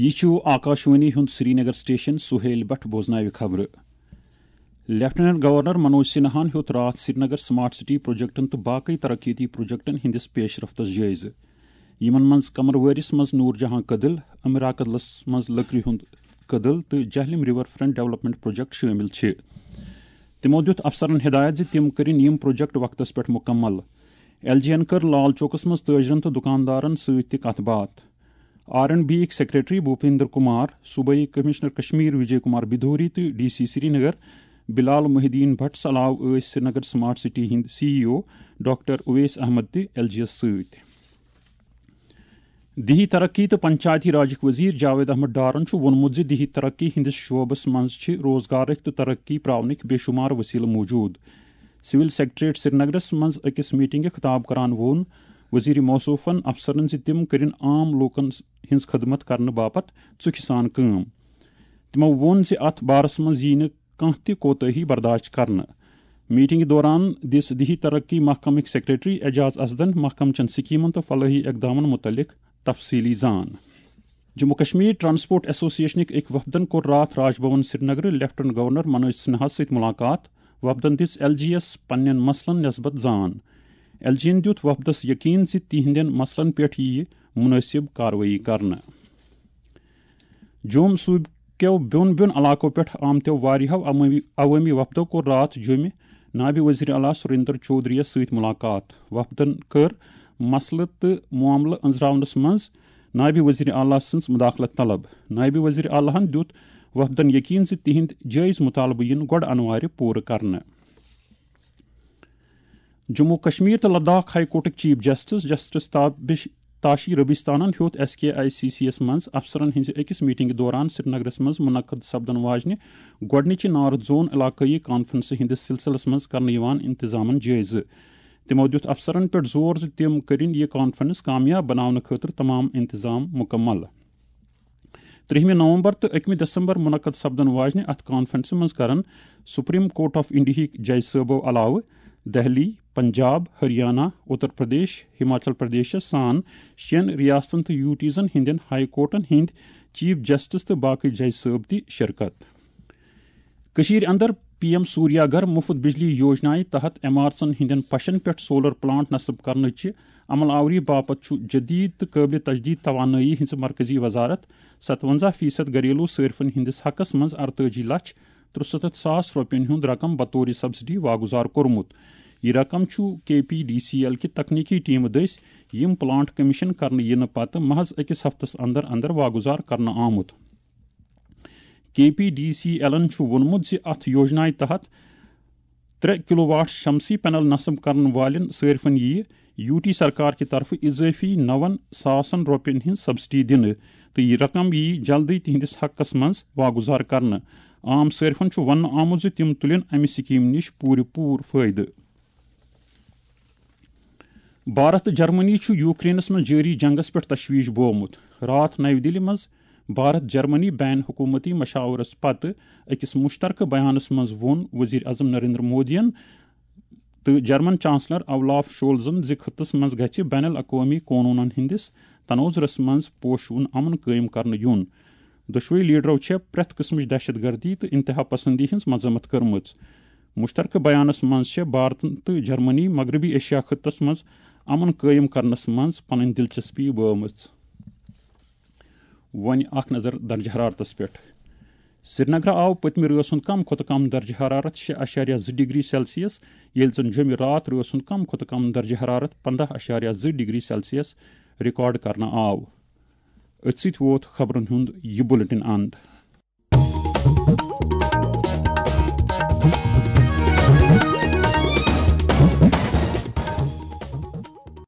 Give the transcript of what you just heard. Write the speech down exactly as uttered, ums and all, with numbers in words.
یہِ چھُ آکاشوانی ہُنٛد سرینگر سٹیشن۔ سہیل بٹ بوزناوِ خبرٕ۔ لیفٹیننٹ گورنر منوج سنہاہن ہیوٚت راتھ سرینگر سمارٹ سٹی پروجیکٹن تہٕ باقٕے ترقیتی پروجیکٹن ہٕنٛدِس پیش رفتس جٲیزٕ، یِمن منٛز قمروٲرِس منٛز نور جہاں کدل، امراکدلس منٛز لٔکرِ ہُنٛد کدل تہٕ Jhelum river front development project شٲمِل چھِ۔ تِمو دِیُت افسرن ہدایت زِ تِم کٔرِن یِم پروجیکٹ وقتس پٮ۪ٹھ مُکمل۔ ایل جی ین کٔر لال چوکس منٛز تٲجرن تہٕ دُکاندارن سۭتۍ تہِ کتھ باتھ۔ آر اینڈ بی یِکۍ سیکرٹری بھوپیندر کمار، صوبائی کمشنر کشمیر وجے کمار بدھوری تہٕ ڈی سی سرینگر بلال محی الدین بھٹس علاوٕ ٲسۍ سرینگر سمارٹ سٹی ہٕنٛدۍ سی ای او ڈاکٹر اویس احمد تہِ ایل جی یس سۭتۍ۔ دیہی ترقی تہٕ پنچایتی راجٕکۍ وزیر جاوید احمد ڈارن چھُ ووٚنمُت زِ دیہی ترقی ہٕنٛدِس شعبس منٛز چھِ روزگارٕکۍ تہٕ ترقی پراونٕکۍ بے شمار وسیلہٕ موجود۔ سول سیکرٹریٹ سرینگرس منٛز أکِس میٹنگہِ خطاب کران ووٚن وزیر موصوفن افسرن زِ تِم کٔرِن عام لوٗکن ہٕنٛز خدمت کرنہٕ باپتھ ژُکھِ سان کٲم۔ تِمو ووٚن زِ اتھ بارس منٛز یِیہِ نہٕ کانٛہہ تہِ کوتٲہی برداشت کرنہٕ۔ میٹنگہِ دوران دِژ دیہی ترقی محکمٕکۍ سیکرٹری اعجاز اسدن محکمہٕ چٮ۪ن سکیمن تہٕ فلٲحی اقدامن متعلق تفصیلی زان۔ جموں کشمیر ٹرانسپورٹ ایسوسیشنٕکۍ أکۍ وفدن کوٚر راتھ راج بھون سرینگرٕ لیفٹیننٹ گورنر منوج سنہاہس سۭتۍ ملاقات۔ وفدن دِژ ایل جی یس پننٮ۪ن مسلن نسبت زان۔ ایل جی ین دِیُت وفدس یقین زِ تِہنٛدٮ۪ن مسلن پٮ۪ٹھ یِیہِ منٲسب کاروٲیی کرنہٕ۔ جوٚم صوٗبہٕ کٮ۪و بیوٚن بیوٚن علاقو پٮ۪ٹھ آمتیو واریاہو عوٲمی، عوٲمی وفدو کوٚر راتھ جوٚمہِ نائب وزیر اعلیٰ سریندر چودھری یَس سۭتۍ ملاقات۔ وفدن کٔر مسلہٕ تہٕ معاملہٕ أنٛزراونس منٛز نائب وزیر اعلیٰ سٕنٛز مداخلت طلب۔ نائب وزیر اعلیٰ ہَن دیُت وفدن یقین زِ تِہنٛدۍ جٲیز مطالبہٕ یِن گۄڈٕ انوارِ پوٗرٕ کرنہٕ۔ جموں کشمیر تہٕ لداخ ہائی کورٹٕکۍ chief justice justice Tabish Tashi ربیستانن ہیوٚت S K I C C یس منٛز افسرن ہٕنٛزِ أکِس میٹنگہِ دوران سرینگرس منٛز منعقد سپدن واجنہِ گۄڈٕنِچہِ نارتھ زون علاقٲیی کانفرنسہِ ہٕنٛدِس سلسلس منٛز کرنہٕ یِوان انتظامن جٲیزٕ۔ تِمو دِیُت افسرن پٮ۪ٹھ زور زِ تِم کٔرِن یہِ کانفرنس کامیاب بناونہٕ خٲطرٕ تمام انتظام مکمل۔ ترٛہمہِ نومبر تہٕ أکمہِ دسمبر منعقد سپدن واجنہِ اتھ کانفرنسہِ منٛز کرن سپریم کورٹ آف انڈیاہٕکۍ جج صٲبو علاوٕ دہلی، پنجاب، ہریانہ، اتر پردیش، ہماچل پردیشس سان شٮ۪ن ریاستن تہٕ یوٗٹیٖزن ہٕنٛدٮ۪ن ہائی کورٹن ہٕنٛدۍ چیف جسٹس تہٕ باقٕے جج صٲب تہِ شرکت۔ کٔشیٖرِ اندر پی ایم سوریا گھر مُفت بجلی یوجنایہِ تحت عمارژن ہٕنٛدٮ۪ن پشن پٮ۪ٹھ سولر پلانٹ نصب کرنٕچہِ عمل آوری باپتھ چھُ جدید تہٕ قٲبلِ تجدید توانٲیی ہٕنٛز مرکزی وزارت ستونزہ فیصد گھریلو صٲرفن ہٕنٛدِس حقس منٛز ارتٲجی لچھ ترُسَتتھ ساس رۄپین ہُنٛد رقم بطور سبسڈی واگُزار کوٚرمُت۔ یہِ رقم چھُ کے پی ڈی سی ایل کہِ تکنیکی ٹیمہٕ دٔسۍ یِم پلانٹ کمیشن کرنہٕ یِنہٕ پتہٕ محض أکِس ہفتس اندر اندر واگُزار کرنہٕ آمُت۔ کے پی ڈی سی ایلن چھُ ووٚنمُت زِ اتھ یوجنایہِ تحت ترٛےٚ کلو واٹ شمسی پینل نصب کرن والٮ۪ن صٲرفن یِیہِ یوٗ ٹی سرکار کہِ طرفہٕ اضٲفی نون ساسن رۄپین ہٕنٛز سبسڈی دِنہٕ تہٕ یہِ رقم یِیہِ جلدٕے تِہنٛدِس حقس منٛز واگُزار کرنہٕ۔ عام صٲرفن چھُ وننہٕ آمُت زِ تِم تُلن امہِ سکیمہِ نِش پوٗرٕ پوٗرٕ فٲیدٕ۔ بھارت تہٕ جرمنی چھُ یوکرینس منٛز جٲری جنگس پٮ۪ٹھ تشویش بوومُت۔ راتھ نَوِ دِلہِ منٛز بھارت جرمنی بین حکومتی مشاورس پتہٕ أکِس مشترکہٕ بیانس منٛز ووٚن وزیر اعظم نریندر مودیَن تہٕ جرمن چانسلر اولاف شولزن زِ خطس منٛز گژھِ بین الاقوٲمی قونوٗنن ہٕنٛدِس تناظرس منٛز پوشوُن امن قٲیِم کرنہٕ یُن۔ دۄشوٕے لیڈرو چھےٚ پرٛٮ۪تھ قٕسمٕچ دہشت گردی تہٕ انتہا پسندی ہٕنٛز مذمت کٔرمٕژ۔ مشترکہٕ بیانس منٛز چھےٚ بھارت تہٕ جرمنی مغربی ایشیا خطس منٛز امن قٲیِم کرنس منٛز پنٕنۍ دلچسپی بٲومٕژ۔ وۄنۍ اکھ نظر درجہ حرارتس پٮ۪ٹھ۔ سرینگرٕ آو پٔتمہِ رٲژ ہُنٛد کم کھۄتہٕ کم درجہ حرارت شےٚ اعشاریہ زٕ ڈگری سیلسیس، ییٚلہِ زن جوٚمہِ راتھ رٲژ ہُنٛد کم کھۄتہٕ کم درجہ حرارت پنٛداہ اعشاریہ زٕ ڈگری سیلسیس ریکارڈ کرنہٕ آو۔ أتھۍ سۭتۍ ووت خبرن ہُنٛد یہِ بُلٹن اند۔